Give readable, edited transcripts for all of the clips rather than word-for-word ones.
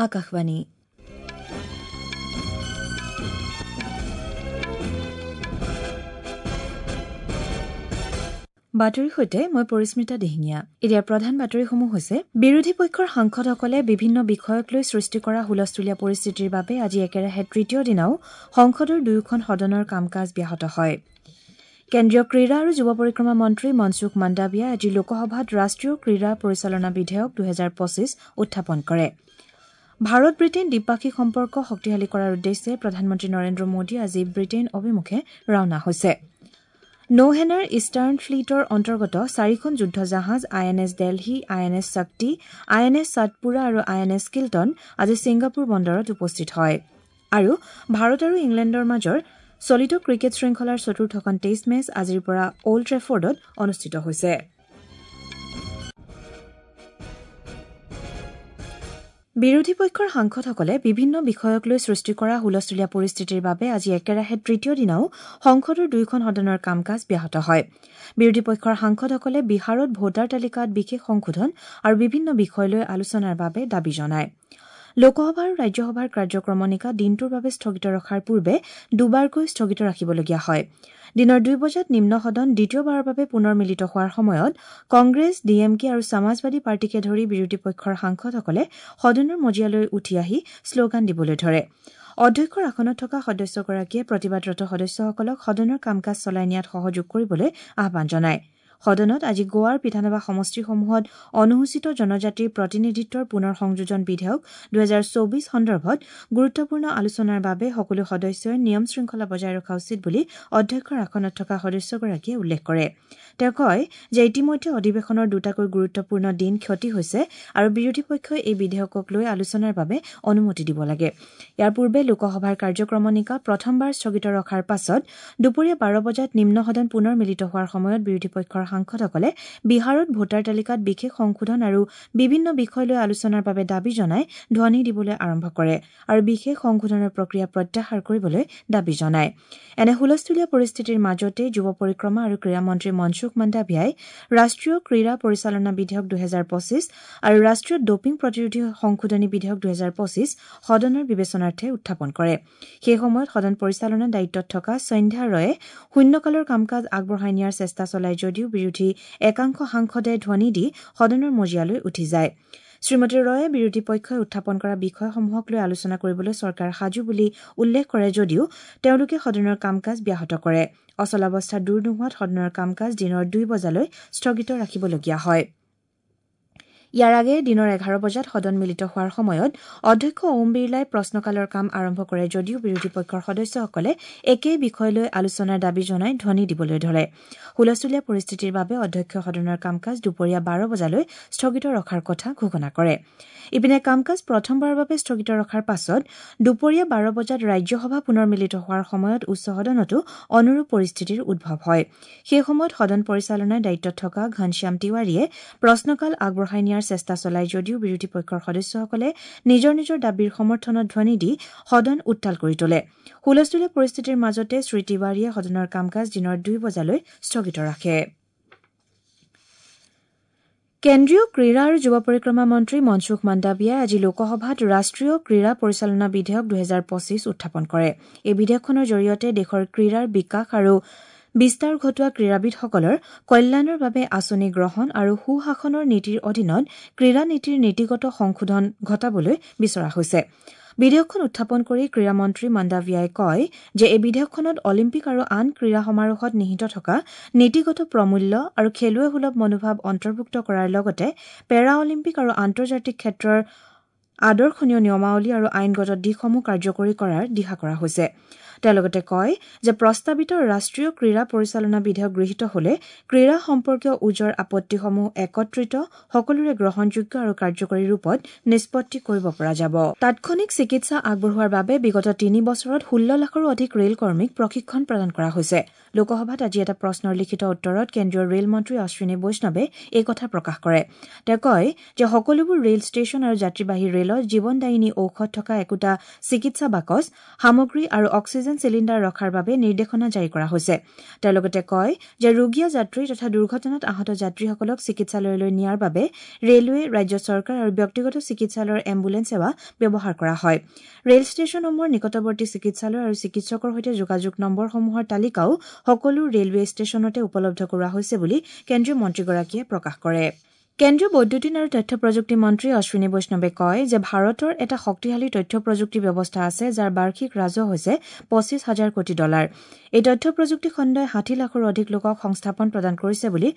আকাশবাণী। বাতৰিৰ সৈতে মই পৰিস্মিতা দিহিঙীয়া। এতিয়া প্ৰধান বাতৰিসমূহ হৈছে: বিৰোধী পক্ষৰ সাংসদসকলে বিভিন্ন বিষয়ক লৈ সৃষ্টি কৰা হুলস্থুলীয়া পৰিস্থিতিৰ বাবে আজি একেৰাহে তৃতীয় দিনাও সংসদৰ দুয়োখন সদনৰ কাম কাজ ব্যাহত হয়। কেন্দ্ৰীয় ক্ৰীড়া আৰু যুৱ পৰিক্ৰমা মন্ত্ৰী মনসুখ মাণ্ডাভিয়াই আজি লোকসভাত ৰাষ্ট্ৰীয় ক্ৰীড়া পৰিচালনা বিধেয়ক ২০২৫ উত্থাপন কৰে। ভাৰত ব্ৰিটেইন দ্বিপাক্ষিক সম্পৰ্ক শক্তিশালী কৰাৰ উদ্দেশ্যে প্ৰধানমন্ত্ৰী নৰেন্দ্ৰ মোদী আজি ব্ৰিটেইন অভিমুখে ৰাওনা হৈছে। নৌসেনাৰ ইষ্টাৰ্ণ ফ্লীটৰ অন্তৰ্গত চাৰিখন যুদ্ধ জাহাজ I N S Delhi, I N S Shakti, I N S Satpura আৰু আই এন এছ কিল্টন আজি ছিংগাপুৰ বন্দৰত উপস্থিত হয়। আৰু ভাৰত আৰু ইংলেণ্ডৰ মাজৰ চলিত ক্ৰিকেট শৃংখলাৰ চতুৰ্থখন টেষ্ট মেচ আজিৰ পৰা অল্ড ট্ৰেফৰ্ডত অনুষ্ঠিত হৈছে। বিৰোধী পক্ষৰ সাংসদসকলে বিভিন্ন বিষয়ক লৈ সৃষ্টি কৰা হুলস্থুলীয়া পৰিস্থিতিৰ বাবে আজি একেৰাহে তৃতীয় দিনাও সংসদৰ দুয়োখন সদনৰ কাম কাজ ব্যাহত হয়। বিৰোধী পক্ষৰ সাংসদসকলে বিহাৰত ভোটাৰ তালিকাত বিশেষ সংশোধন আৰু বিভিন্ন বিষয় লৈ আলোচনাৰ বাবে দাবী জনায়। লোকসভা আৰু ৰাজ্যসভাৰ কাৰ্যক্ৰমণিকা দিনটোৰ বাবে স্থগিত ৰখাৰ পূৰ্বে দুবাৰকৈ স্থগিত ৰাখিবলগীয়া হয়। দিনৰ ২ বজাত নিম্ন সদন দ্বিতীয়বাৰৰ বাবে পুনৰ মিলিত হোৱাৰ সময়ত কংগ্ৰেছ, ডি এম কে আৰু সমাজবাদী পাৰ্টীকে ধৰি বিৰোধী পক্ষৰ সাংসদসকলে সদনৰ মজিয়ালৈ উঠি আহি শ্লোগান দিবলৈ ধৰে। অধ্যক্ষৰ আসনত থকা সদস্যগৰাকীয়ে প্ৰতিবাদৰত সদস্যসকলক সদনৰ কাম কাজ চলাই নিয়াত সহযোগ কৰিবলৈ আহ্বান জনায়। সদনত আজি গোৱাৰ বিধানসভা সমষ্টিসমূহত অনুসূচিত জনজাতিৰ প্ৰতিনিধিত্বৰ পুনৰ সংযোজন বিধেয়ক ২০২৪ সন্দৰ্ভত গুৰুত্বপূৰ্ণ আলোচনাৰ বাবে সকলো সদস্যই নিয়ম শৃংখলা বজাই ৰখা উচিত বুলি অধ্যক্ষৰ আসনত থকা সদস্যগৰাকীয়ে উল্লেখ কৰে। তেওঁ কয় যে ইতিমধ্যে অধিৱেশনৰ দুটাকৈ গুৰুত্বপূৰ্ণ দিন ক্ষতি হৈছে আৰু বিৰোধী পক্ষই এই বিধেয়কক লৈ আলোচনাৰ বাবে অনুমতি দিব লাগে। ইয়াৰ পূৰ্বে লোকসভাৰ কাৰ্যক্ৰমণিকা প্ৰথমবাৰ স্থগিত ৰখাৰ পাছত দুপৰীয়া ১২ বজাত নিম্ন সদন পুনৰ মিলিত হোৱাৰ সময়ত বিৰোধী পক্ষৰ সাংসদসকলে বিহাৰত ভোটাৰ তালিকাত বিশেষ সংশোধন আৰু বিভিন্ন বিষয় লৈ আলোচনাৰ বাবে দাবী জনাই ধ্বনি দিবলৈ আৰম্ভ কৰে আৰু বিশেষ সংশোধনৰ প্ৰক্ৰিয়া প্ৰত্যাহাৰ কৰিবলৈ দাবী জনায়। এনে হুলস্থুলীয়া পৰিস্থিতিৰ মাজতে যুৱ পৰিক্ৰমা আৰু ক্ৰীড়া মন্ত্ৰী মনসুখ মাণ্ডাভিয়াই ৰাষ্ট্ৰীয় ক্ৰীড়া পৰিচালনা বিধেয়ক ২০২৫ আৰু ৰাষ্ট্ৰীয় ডোপিং প্ৰতিৰোধী সংশোধনী বিধেয়ক ২০২৫ সদনৰ বিবেচনাৰ্থে উত্থাপন কৰে। সেই সময়ত সদন পৰিচালনাৰ দায়িত্বত থকা সন্ধ্যা ৰয়ে শূন্যকালৰ কাম কাজ আগবঢ়াই নিয়াৰ চেষ্টা চলায় যদিও বিৰোধী একাংশ সাংসদে ধ্বনি দি সদনৰ মজিয়ালৈ উঠি যায়। শ্ৰীমতী ৰয়ে বিৰোধী পক্ষই উত্থাপন কৰা বিষয়সমূহক লৈ আলোচনা কৰিবলৈ চৰকাৰ সাজু বুলি উল্লেখ কৰে যদিও তেওঁলোকে সদনৰ কাম কাজ ব্যাহত কৰে। অচলাৱস্থা দূৰ নোহোৱাত সদনৰ কাম কাজ দিনৰ ২ বজালৈ স্থগিত ৰাখিবলগীয়া হয়। ইয়াৰ আগেয়ে দিনৰ ১১ বজাত সদন মিলিত হোৱাৰ সময়ত অধ্যক্ষ ওম বিৰলাই প্ৰশ্নকালৰ কাম আৰম্ভ কৰে যদিও বিৰোধী পক্ষৰ সদস্যসকলে একেই বিষয় লৈ আলোচনাৰ দাবী জনাই ধ্বনি দিবলৈ ধৰে। হুলস্থুলীয়া পৰিস্থিতিৰ বাবে অধ্যক্ষই সদনৰ কাম কাজ দুপৰীয়া ১২ বজালৈ স্থগিত ৰখাৰ কথা ঘোষণা কৰে। ইপিনে কাম কাজ প্ৰথমবাৰৰ বাবে স্থগিত ৰখাৰ পাছত দুপৰীয়া ১২ বজাত ৰাজ্যসভা পুনৰ মিলিত হোৱাৰ সময়ত উচ্চ সদনতো অনুৰূপ পৰিস্থিতিৰ উদ্ভৱ হয়। সেই সময়ত সদন পৰিচালনাৰ দায়িত্বত থকা ঘনশ্যাম তিৱাৰীয়ে প্ৰশ্নকাল আগবঢ়াই নিয়াৰ চেষ্টা চলায় যদিও বিৰোধী পক্ষৰ সদস্যসকলে নিজৰ নিজৰ দাবীৰ সমৰ্থনত ধ্বনি দি সদন উত্তাল কৰি তোলে। হুলস্থুলীয়া পৰিস্থিতিৰ মাজতে শ্ৰী তিৱাৰীয়ে সদনৰ কাম কাজ দিনৰ ২ বজালৈ স্থগিত ৰাখে। কেন্দ্ৰীয় ক্ৰীড়া আৰু যুৱ পৰিক্ৰমা মন্ত্ৰী মনসুখ মাণ্ডাভিয়াই আজি লোকসভাত ৰাষ্ট্ৰীয় ক্ৰীড়া পৰিচালনা বিধেয়ক ২০২৫ উত্থাপন কৰে। এই বিধেয়কখনৰ জৰিয়তে দেশৰ ক্ৰীড়াৰ বিকাশ আৰু বিস্তাৰ ঘটোৱা ক্ৰীড়াবিদসকলৰ কল্যাণৰ বাবে আঁচনি গ্ৰহণ আৰু সুশাসনৰ নীতিৰ অধীনত ক্ৰীড়া নীতিৰ নীতিগত সংশোধন ঘটাবলৈ বিচৰা হৈছে। বিধেয়কখন উত্থাপন কৰি ক্ৰীড়া মন্ত্ৰী মাণ্ডাভিয়াই কয় যে এই বিধেয়কখনত অলিম্পিক আৰু আন ক্ৰীড়া সমাৰোহত নিহিত থকা নীতিগত প্ৰমূল্য আৰু খেলুৱৈসুলভ মনোভাৱ অন্তৰ্ভুক্ত কৰাৰ লগতে পেৰা অলিম্পিক আৰু আন্তৰ্জাতিক ক্ষেত্ৰৰ আদৰ্শনীয় নিয়মাৱলী আৰু আইনগত দিশসমূহ কাৰ্যকৰী কৰাৰ দিহা কৰা হৈছে। তেওঁ লগতে কয় যে প্ৰস্তাৱিত ৰাষ্ট্ৰীয় ক্ৰীড়া পৰিচালনা বিধেয়ক গৃহীত হলে ক্ৰীড়া সম্পৰ্কীয় ওজৰ আপত্তিসমূহ একত্ৰিত, সকলোৰে গ্ৰহণযোগ্য আৰু কাৰ্যকৰী ৰূপত নিষ্পত্তি কৰিব পৰা যাব। তাৎক্ষণিক চিকিৎসা আগবঢ়োৱাৰ বাবে বিগত ৩ বছৰত ১৬ লাখৰো অধিক ৰেল কৰ্মীক প্ৰশিক্ষণ প্ৰদান কৰা হৈছে। লোকসভাত আজি এটা প্ৰশ্নৰ লিখিত উত্তৰত কেন্দ্ৰীয় ৰেল মন্ত্ৰী অশ্বিনী বৈষ্ণৱে এই কথা প্ৰকাশ কৰে। তেওঁ কয় যে সকলোবোৰ ৰেল ষ্টেচন আৰু যাত্ৰীবাহী ৰেলত জীৱনদায়িনী ঔষধ থকা একোটা চিকিৎসা বাকচ, সামগ্ৰী আৰু অক্সিজেন অক্সিজেন চিলিণ্ডাৰ ৰখাৰ বাবে নিৰ্দেশনা জাৰি কৰা হৈছে। তেওঁ লগতে কয় যে ৰোগীয়া যাত্ৰী তথা দুৰ্ঘটনাত আহত যাত্ৰীসকলক চিকিৎসালয়লৈ নিয়াৰ বাবে ৰেলৱে, ৰাজ্য চৰকাৰ আৰু ব্যক্তিগত চিকিৎসালয়ৰ এম্বুলেন্স সেৱা ব্যৱহাৰ কৰা হয়। ৰেল ষ্টেচনসমূহৰ নিকটৱৰ্তী চিকিৎসালয় আৰু চিকিৎসকৰ সৈতে যোগাযোগ নম্বৰসমূহৰ তালিকাও সকলো ৰেলৱে ষ্টেচনতে উপলব্ধ কৰোৱা হৈছে বুলি কেন্দ্ৰীয় মন্ত্ৰীগৰাকীয়ে প্ৰকাশ কৰে। কেন্দ্ৰীয় বৈদ্যুতিন আৰু তথ্য প্ৰযুক্তি মন্ত্ৰী অশ্বিনী বৈষ্ণৱে কয় যে ভাৰতৰ এটা শক্তিশালী তথ্য প্ৰযুক্তি ব্যৱস্থা আছে, যাৰ বাৰ্ষিক ৰাজহ হৈছে ২৫ হাজাৰ কোটি ডলাৰ। এই তথ্য প্ৰযুক্তি খণ্ডই ৬০ লাখৰো অধিক লোকক সংস্থাপন প্ৰদান কৰিছে বুলি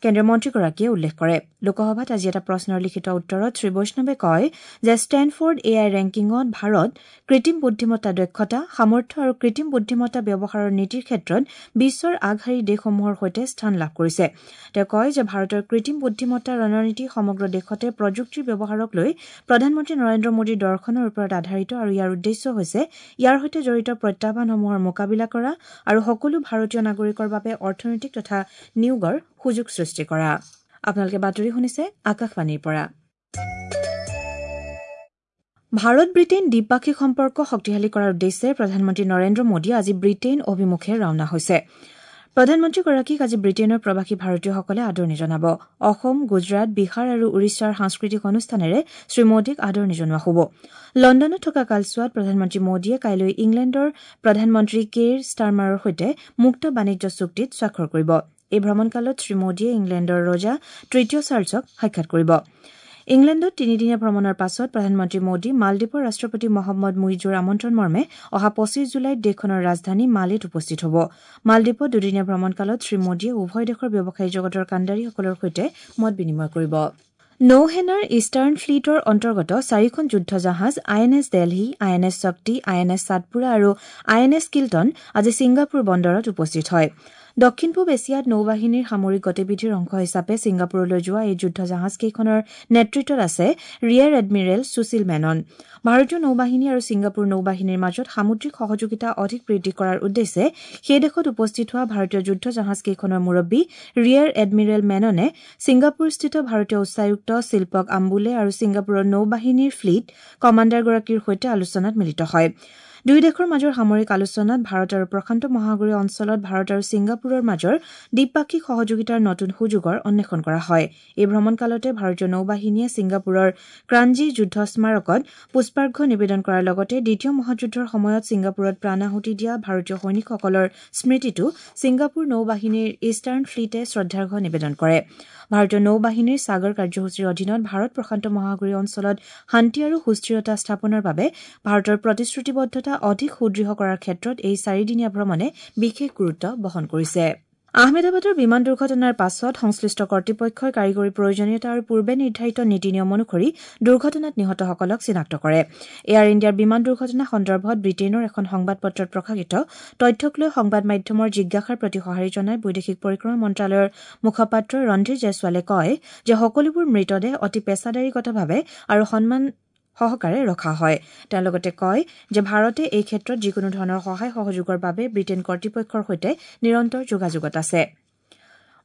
কেন্দ্ৰীয় মন্ত্ৰীগৰাকীয়ে উল্লেখ কৰে। লোকসভাত আজি এটা প্ৰশ্নৰ লিখিত উত্তৰত শ্ৰীবৈষ্ণৱে কয় যে ষ্টেনফৰ্ড এ I ৰেংকিঙত ভাৰত কৃত্ৰিম বুদ্ধিমত্তা দক্ষতা, সামৰ্থ্য আৰু কৃত্ৰিম বুদ্ধিমত্তা ব্যৱহাৰৰ নীতিৰ ক্ষেত্ৰত বিশ্বৰ আগশাৰীৰ দেশসমূহৰ সৈতে স্থান লাভ কৰিছে। তেওঁ কয় যে ভাৰতৰ কৃত্ৰিম বুদ্ধিমত্তা ৰণনীতি সমগ্ৰ দেশতে প্ৰযুক্তিৰ ব্যৱহাৰক লৈ প্ৰধানমন্ত্ৰী নৰেন্দ্ৰ মোদীৰ দৰ্শনৰ ওপৰত আধাৰিত আৰু ইয়াৰ উদ্দেশ্য হৈছে ইয়াৰ সৈতে জড়িত প্ৰত্যাহ্বানসমূহৰ মোকাবিলা কৰা আৰু সকলো ভাৰতীয় নাগৰিকৰ বাবে অৰ্থনৈতিক তথা নিয়োগৰ সুযোগ সৃষ্টি কৰা। আপোনালোকে বাতৰি শুনিছে আকাশবাণীৰ পৰা। ভাৰত ব্ৰিটেইন দ্বিপাক্ষিক সম্পৰ্ক শক্তিশালী কৰাৰ উদ্দেশ্যে প্ৰধানমন্ত্ৰী নৰেন্দ্ৰ মোদীয়ে আজি ব্ৰিটেইন অভিমুখে ৰাওনা হৈছে। প্ৰধানমন্ত্ৰীগৰাকীক আজি ব্ৰিটেইনৰ প্ৰৱাসী ভাৰতীয়সকলে আদৰণি জনাব। অসম, গুজৰাট, বিহাৰ আৰু উৰিষ্যাৰ সাংস্কৃতিক অনুষ্ঠানেৰে শ্ৰীমোদীক আদৰণি জনোৱা হ'ব। লণ্ডনত থকা কালছোৱাত প্ৰধানমন্ত্ৰী মোদীয়ে কাইলৈ ইংলেণ্ডৰ প্ৰধানমন্ত্ৰী কেইৰ ষ্টাৰমাৰৰ সৈতে মুক্ত বাণিজ্য চুক্তিত স্বাক্ষৰ কৰিব। এই ভ্ৰমণকালত শ্ৰীমোদীয়ে ইংলেণ্ডৰ ৰজা তৃতীয় চাৰ্লছক সাক্ষাৎ কৰিব। ইংলেণ্ডত তিনিদিনীয়া ভ্ৰমণৰ পাছত প্ৰধানমন্ত্ৰী মোদী মালদ্বীপৰ ৰাষ্ট্ৰপতি মহম্মদ মুইজুৰ আমন্ত্ৰণ মৰ্মে অহা ২৫ জুলাইত দেশখনৰ ৰাজধানী মালেত উপস্থিত হ'ব। মালদ্বীপত দুদিনীয়া ভ্ৰমণকালত শ্ৰীমোদীয়ে উভয় দেশৰ ব্যৱসায়ী জগতৰ কাণ্ডাৰীসকলৰ সৈতে মত বিনিময় কৰিব। নৌসেনাৰ ইষ্টাৰ্ণ ফ্লীটৰ অন্তৰ্গত চাৰিখন যুদ্ধ জাহাজ আই এন এছ দেলহি, আই এন এছ শক্তি, আই এন এছ সাতপুৰা আৰু আই এন এছ কিল্টন আজি ছিংগাপুৰ বন্দৰত উপস্থিত হয়। দক্ষিণ পূব এছিয়াত নৌবাহিনীৰ সামৰিক গতিবিধিৰ অংশ হিচাপে ছিংগাপুৰলৈ যোৱা এই যুদ্ধ জাহাজকেইখনৰ নেতৃত্বত আছে ৰিয়েৰ এডমিৰেল সুশীল মেনন। ভাৰতীয় নৌবাহিনী আৰু ছিংগাপুৰ নৌবাহিনীৰ মাজত সামুদ্ৰিক সহযোগিতা অধিক বৃদ্ধি কৰাৰ উদ্দেশ্যে সেই দেশত উপস্থিত হোৱা ভাৰতীয় যুদ্ধ জাহাজকেইখনৰ মুৰব্বী ৰিয়েৰ এডমিৰেল মেননে ছিংগাপুৰস্থিত ভাৰতীয় উচ্চায়ুক্ত শিল্পক আম্বুলে আৰু ছিংগাপুৰৰ নৌবাহিনীৰ ফ্লীট কমাণ্ডাৰগৰাকীৰ সৈতে আলোচনাত মিলিত হয়। দুয়ো দেশৰ মাজৰ সামৰিক আলোচনাত ভাৰত আৰু প্ৰশান্ত মহাসাগৰীয় অঞ্চলত ভাৰত আৰু ছিংগাপুৰৰ মাজৰ দ্বিপাক্ষিক সহযোগিতাৰ নতুন সুযোগৰ অন্বেষণ কৰা হয়। এই ভ্ৰমণকালতে ভাৰতীয় নৌবাহিনীয়ে ছিংগাপুৰৰ ক্ৰাঞ্জী যুদ্ধ স্মাৰকত পুষ্পাৰ্ঘ্য নিবেদন কৰাৰ লগতে দ্বিতীয় মহাযুদ্ধৰ সময়ত ছিংগাপুৰত প্ৰাণাহুতি দিয়া ভাৰতীয় সৈনিকসকলৰ স্মৃতিতো ছিংগাপুৰ নৌবাহিনীৰ ইষ্টাৰ্ণ ফ্লীটে শ্ৰদ্ধাৰ্ঘ্য নিবেদন কৰে। ভাৰতীয় নৌবাহিনীৰ সাগৰ কাৰ্যসূচীৰ অধীনত ভাৰত প্ৰশান্ত মহাসাগৰীয় অঞ্চলত শান্তি আৰু সুস্থিৰতা স্থাপনৰ বাবে ভাৰতৰ প্ৰতিশ্ৰুতিবদ্ধতা অধিক সুদৃঢ় কৰাৰ ক্ষেত্ৰত এই চাৰিদিনীয়া ভ্ৰমণে বিশেষ গুৰুত্ব বহন কৰিছে। আহমেদাবাদৰ বিমান দুৰ্ঘটনাৰ পাছত সংশ্লিষ্ট কৰ্তৃপক্ষই কাৰিকৰী প্ৰয়োজনীয়তা আৰু পূৰ্বে নিৰ্ধাৰিত নীতি নিয়ম অনুসৰি দুৰ্ঘটনাত নিহতসকলক চিনাক্ত কৰে। এয়াৰ ইণ্ডিয়াৰ বিমান দুৰ্ঘটনা সন্দৰ্ভত ব্ৰিটেইনৰ এখন সংবাদ পত্ৰত প্ৰকাশিত তথ্যক লৈ সংবাদ মাধ্যমৰ জিজ্ঞাসাৰ প্ৰতি সঁহাৰি জনাই বৈদেশিক পৰিক্ৰমা মন্ত্ৰালয়ৰ মুখপাত্ৰ ৰণধীৰ জয়ছোৱালে কয় যে সকলোবোৰ মৃতদেহ অতি পেছাদাৰীগতভাৱে আৰু সন্মান সহকাৰে ৰখা হয়। তেওঁ লগতে কয় যে ভাৰতে এই ক্ষেত্ৰত যিকোনো ধৰণৰ সহায় সহযোগৰ বাবে ব্ৰিটেইন কৰ্তৃপক্ষৰ সৈতে নিৰন্তৰ যোগাযোগত আছে।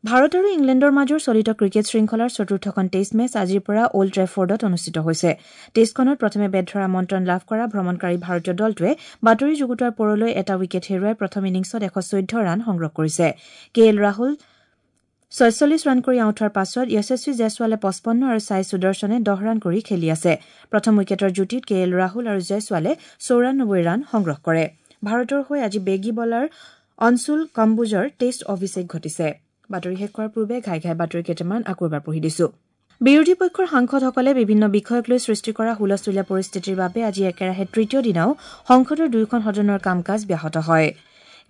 ভাৰত আৰু ইংলেণ্ডৰ মাজৰ চলিত ক্ৰিকেট শৃংখলাৰ চতুৰ্থখন টেষ্ট মেচ আজিৰ পৰা অল্ড ট্ৰেফৰ্ডত অনুষ্ঠিত হৈছে। টেষ্টখনত প্ৰথমে বেট ধৰাৰ আমন্ত্ৰণ লাভ কৰা ভ্ৰমণকাৰী ভাৰতীয় দলটোৱে বাতৰি যুগুতোৱাৰ পৰলৈ এটা উইকেট হেৰুৱাই প্ৰথম ইনিংছত ১১৪ ৰান সংগ্ৰহ কৰিছে। কে এল ৰাহুল ৪৬ ৰান কৰি আউট হোৱাৰ পাছত য়শস্বী জয়ছোৱালে ৫৫ আৰু ছাই সুদৰ্শনে ১০ ৰান কৰি খেলি আছে। প্ৰথম উইকেটৰ যুটীত কে এল ৰাহুল আৰু জয়ছোৱালে ৯৪ ৰান সংগ্ৰহ কৰে। ভাৰতৰ হৈ আজি বেগী বলাৰ অনচুল কম্বোজৰ টেষ্ট অভিষেক ঘটিছে। বাতৰি শেষ কৰাৰ পূৰ্বে ঘাই ঘাই বাতৰি কেইটামান আকৌ এবাৰ পঢ়ি দিছো। বিৰোধী পক্ষৰ সাংসদসকলে বিভিন্ন বিষয়ক লৈ সৃষ্টি কৰা হুলস্থুলীয়া পৰিস্থিতিৰ বাবে আজি একেৰাহে তৃতীয় দিনাও সংসদৰ দুয়োখন সদনৰ কাম কাজ ব্যাহত হয়।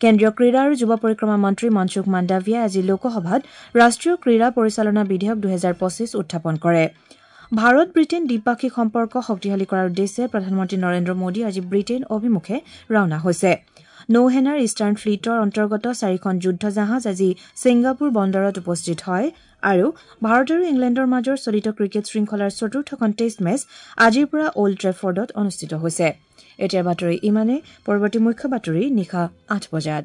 কেন্দ্ৰীয় ক্ৰীড়া আৰু যুৱ পৰিক্ৰমা মন্ত্ৰী মনসুখ মাণ্ডাভিয়াই আজি লোকসভাত ৰাষ্ট্ৰীয় ক্ৰীড়া পৰিচালনা বিধেয়ক ২০২৫ উত্থাপন কৰে। ভাৰত ব্ৰিটেইন দ্বিপাক্ষিক সম্পৰ্ক শক্তিশালী কৰাৰ উদ্দেশ্যে প্ৰধানমন্ত্ৰী নৰেন্দ্ৰ মোদী আজি ব্ৰিটেইন অভিমুখে ৰাওনা হৈছে। নৌসেনাৰ ইষ্টাৰ্ণ ফ্লীটৰ অন্তৰ্গত চাৰিখন যুদ্ধ জাহাজ আজি ছিংগাপুৰ বন্দৰত উপস্থিত হয় আৰু ভাৰত আৰু ইংলেণ্ডৰ মাজৰ চলিত ক্ৰিকেট শৃংখলাৰ চতুৰ্থখন টেষ্ট মেচ আজিৰ পৰা অল্ড ট্ৰেফৰ্ডত অনুষ্ঠিত হৈছে। এতিয়াৰ বাতৰি ইমানেই। পৰৱৰ্তী মুখ্য বাতৰি নিশা ৮ বজাত।